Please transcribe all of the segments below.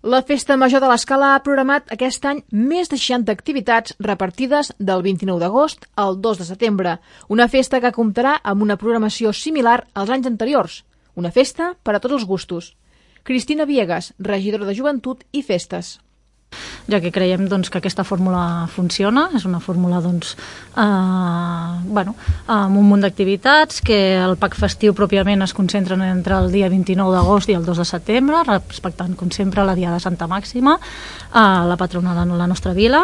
La Festa Major de l'Escala ha programat aquest any més de 60 activitats repartides del 29 d'agost al 2 de setembre, una festa que comptarà amb una programació similar als anys anteriors, una festa per a tots els gustos. Cristina Viegas, regidora de Joventut i Festes. Ja que creiem que aquesta fórmula funciona, és una fórmula amb un munt d'activitats, que el PAC festiu pròpiament es concentren entre el dia 29 d'agost i el 2 de setembre, respectant com sempre la Diada de Santa Màxima, la patrona de la nostra vila.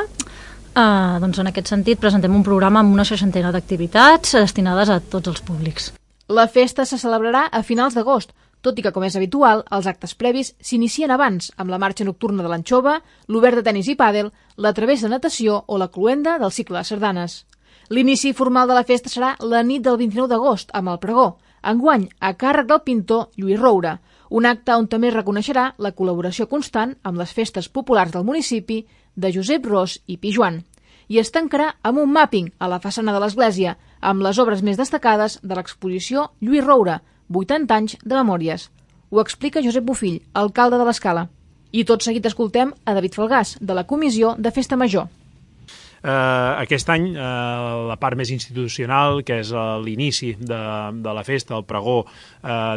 En aquest sentit presentem un programa amb una 60 d'activitats destinades a tots els públics. La festa se celebrarà a finals d'agost, tot i que, com és habitual, els actes previs s'inicien abans, amb la marxa nocturna de l'Anxova, l'obert de tenis i pàdel, la travessa de natació o la cloenda del cicle de sardanes. L'inici formal de la festa serà la nit del 29 d'agost, amb el pregó, enguany a càrrec del pintor Lluís Roura, un acte on també reconeixerà la col·laboració constant amb les festes populars del municipi de Josep Ros i Pijuan. I es tancarà amb un mapping a la façana de l'església, amb les obres més destacades de l'exposició Lluís Roura, 80 anys de memòries. Ho explica Josep Bofill, alcalde de l'Escala. I tot seguit escoltem a David Falgàs, de la Comissió de Festa Major. Aquest any la part més institucional, que és l'inici de la festa, el pregó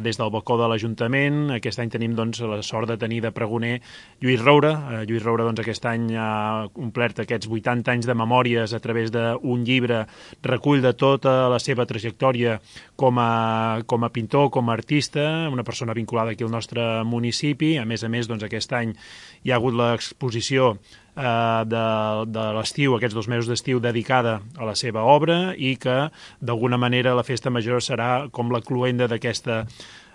des del balcó de l'Ajuntament. Aquest any tenim la sort de tenir de pregoner Lluís Roura. Lluís Roura aquest any ha omplert aquests 80 anys de memòries a través d'un llibre, recull de tota la seva trajectòria com a pintor, com a artista, una persona vinculada aquí al nostre municipi. A més, aquest any hi ha hagut l'exposició de l'estiu, aquests 2 mesos d'estiu dedicada a la seva obra, i que d'alguna manera la Festa Major serà com la cloenda d'aquesta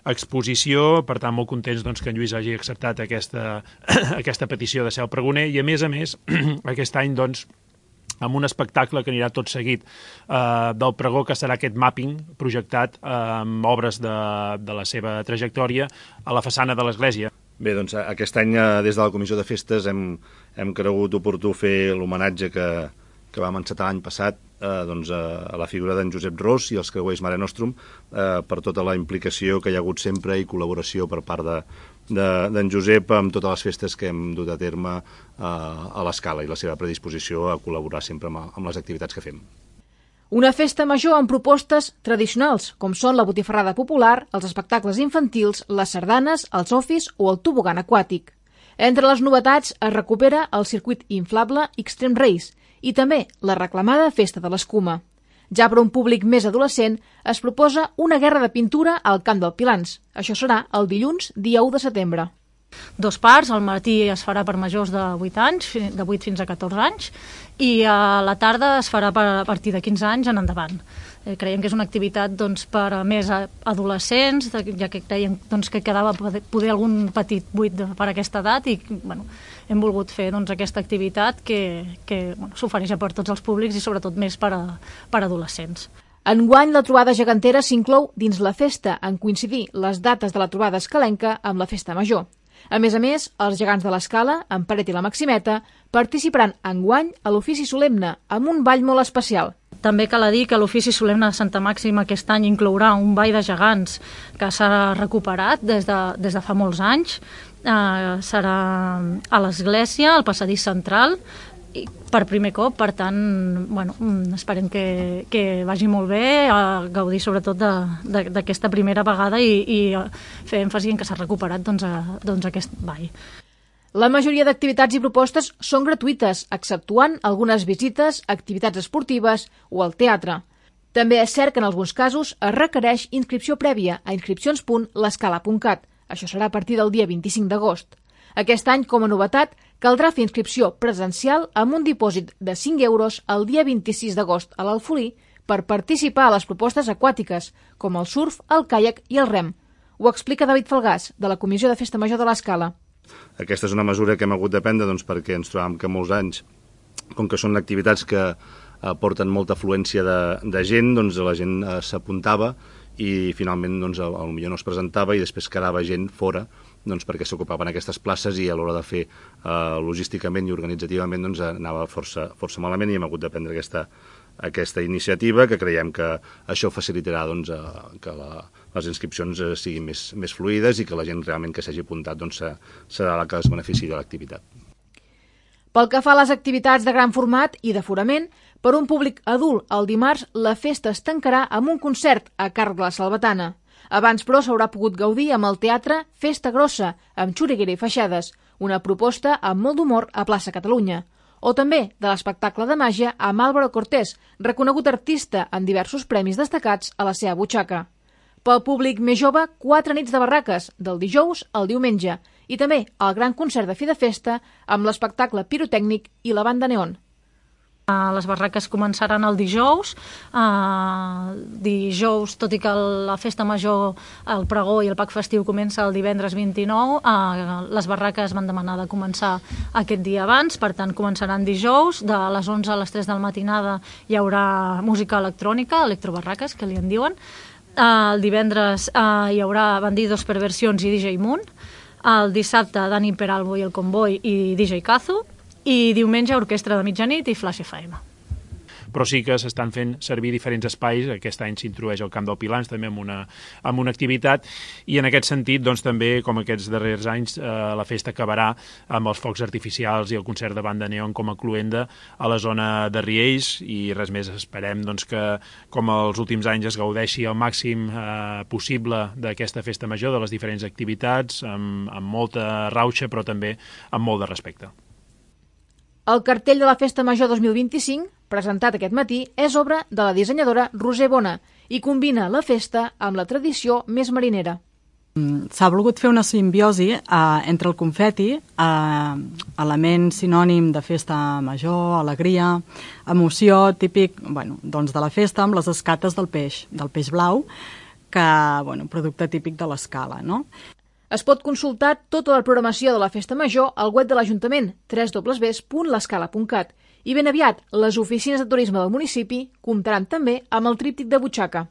exposició. Per tant, molt contents que en Lluís hagi acceptat aquesta petició de ser el pregoner, i a més aquest any amb un espectacle que anirà tot seguit del pregó, que serà aquest mapping projectat amb obres de la seva trajectòria a la façana de l'església. Bé, aquest any des de la Comissió de Festes hem cregut oportú fer l'homenatge que vam encetar l'any passat a la figura d'en Josep Ros i els creuers Mare Nostrum, per tota la implicació que hi ha hagut sempre i col·laboració per part d'en Josep amb totes les festes que hem dut a terme a l'Escala, i la seva predisposició a col·laborar sempre amb les activitats que fem. Una festa major amb propostes tradicionals, com són la botifarrada popular, els espectacles infantils, les sardanes, els ofis o el tobogan aquàtic. Entre les novetats es recupera el circuit inflable Extreme Race i també la reclamada Festa de l'Escuma. Ja per a un públic més adolescent es proposa una guerra de pintura al Camp del Pilans. Això serà el dilluns, dia 1 de setembre. 2 parts, al matí es farà per majors de 8 anys, de 8 fins a 14 anys, i a la tarda es farà a partir de 15 anys en endavant. Creiem que és una activitat per a més adolescents, ja que creiem que quedava poder algun petit buit per aquesta edat, i hem volgut fer aquesta activitat que s'ofereix per tots els públics i sobretot més per a adolescents. Enguany, la trobada gegantera s'inclou dins la festa, en coincidir les dates de la trobada escalenca amb la festa major. A més, els gegants de l'Escala, en Peret i la Maximeta, participaran enguany a l'ofici solemne, amb un ball molt especial. També cal dir que l'ofici solemne de Santa Màxima aquest any inclourà un ball de gegants que s'ha recuperat des de fa molts anys. Serà a l'església, al passadís central, per primer cop. Per tant, esperem que vagi molt bé, a gaudir sobretot d'aquesta primera vegada i fer èmfasi en que s'ha recuperat aquest ball. La majoria d'activitats i propostes són gratuïtes, exceptuant algunes visites, activitats esportives o al teatre. També és cert que en alguns casos es requereix inscripció prèvia a inscripcions.l'escala.cat. Això serà a partir del dia 25 d'agost. Aquest any, com a novetat, caldrà fer inscripció presencial amb un dipòsit de 5 euros el dia 26 d'agost a l'Alfolí per participar a les propostes aquàtiques, com el surf, el caiac i el rem. Ho explica David Falgàs, de la Comissió de Festa Major de l'Escala. Aquesta és una mesura que hem hagut de prendre perquè ens trobàvem que molts anys, com que són activitats que porten molta afluència de gent, la gent s'apuntava i finalment potser no es presentava i després quedava gent fora perquè s'ocupaven aquestes places, i a l'hora de fer logísticament i organitzativament anava força malament, i hem hagut de prendre aquesta iniciativa, que creiem que això facilitarà doncs, que les inscripcions siguin més fluides i que la gent realment que s'hagi apuntat doncs, serà la que es benefici de l'activitat. Pel que fa a les activitats de gran format i d'aforament, per un públic adult el dimarts la festa es tancarà amb un concert a càrrec de la Salvatana. Abans, però, s'haurà pogut gaudir amb el teatre Festa Grossa, amb xuriguera i feixades, una proposta amb molt d'humor a plaça Catalunya. O també de l'espectacle de màgia amb Álvaro Cortés, reconegut artista amb diversos premis destacats a la seva butxaca. Pel públic més jove, 4 nits de barraques, del dijous al diumenge, i també el gran concert de fi de festa amb l'espectacle pirotècnic i la banda neon. Les barraques començaran el dijous. Dijous, tot i que la festa major, el pregó i el pack festiu comença el divendres 29, les barraques van demanar de començar aquest dia abans, per tant començaran dijous, de les 11 a les 3 del matinada hi haurà música electrònica, electrobarraques, que li en diuen. El divendres hi haurà Bandidos, Perversions i DJ Moon. El dissabte, Dani Peralbo i el Convoy i DJ Kazu. I diumenge, Orquestra de Mitjanit i Flash FM. Però sí que s'estan fent servir diferents espais. Aquest any s'introdueix al Camp del Pilans també amb una activitat, i en aquest sentit doncs, també, com aquests darrers anys, la festa acabarà amb els focs artificials i el concert de banda neon com a cluenda a la zona de Riells, i res més. Esperem doncs, que, com els últims anys, es gaudeixi al màxim possible d'aquesta festa major, de les diferents activitats, amb molta rauxa, però també amb molt de respecte. El cartell de la Festa Major 2025, presentat aquest matí, és obra de la dissenyadora Roser Bona i combina la festa amb la tradició més marinera. S'ha volgut fer una simbiosi entre el confeti, element sinònim de festa major, alegria, emoció, típic doncs de la festa, amb les escates del peix blau, que, producte típic de l'Escala, no? Es pot consultar tota la programació de la Festa Major al web de l'Ajuntament, www.lescala.cat, i ben aviat les oficines de turisme del municipi comptaran també amb el tríptic de butxaca.